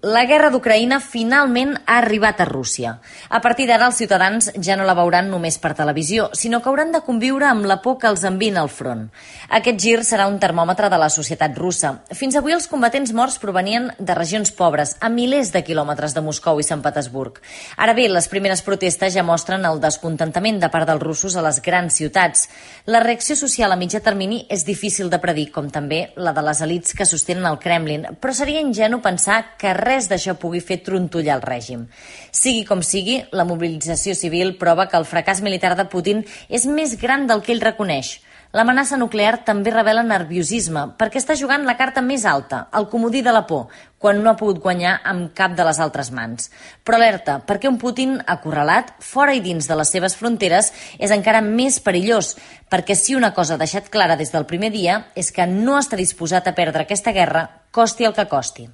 La guerra d'Ucraïna finalment ha arribat a Rússia. A partir d'ara els ciutadans ja no la veuran només per televisió, sinó que hauran de conviure amb la por que els envina al front. Aquest gir serà un termòmetre de la societat russa. Fins avui els combatents morts provenien de regions pobres, a milers de quilòmetres de Moscou i Sant Petersburg. Ara bé, les primeres protestes ja mostren el descontentament de part dels russos a les grans ciutats. La reacció social a mitjà termini és difícil de predir, com també la de les elits que sostenen el Kremlin, però seria ingenu pensar que res d'això pugui fer trontollar el règim. Sigui com sigui, la mobilització civil prova que el fracàs militar de Putin és més gran del que ell reconeix. L'amenaça nuclear també revela nerviosisme, perquè està jugant la carta més alta, el comodí de la por, quan no ha pogut guanyar amb cap de les altres mans. Però alerta, perquè un Putin acorralat, fora i dins de les seves fronteres, és encara més perillós, perquè si una cosa ha deixat clara des del primer dia és que no està disposat a perdre aquesta guerra, costi el que costi.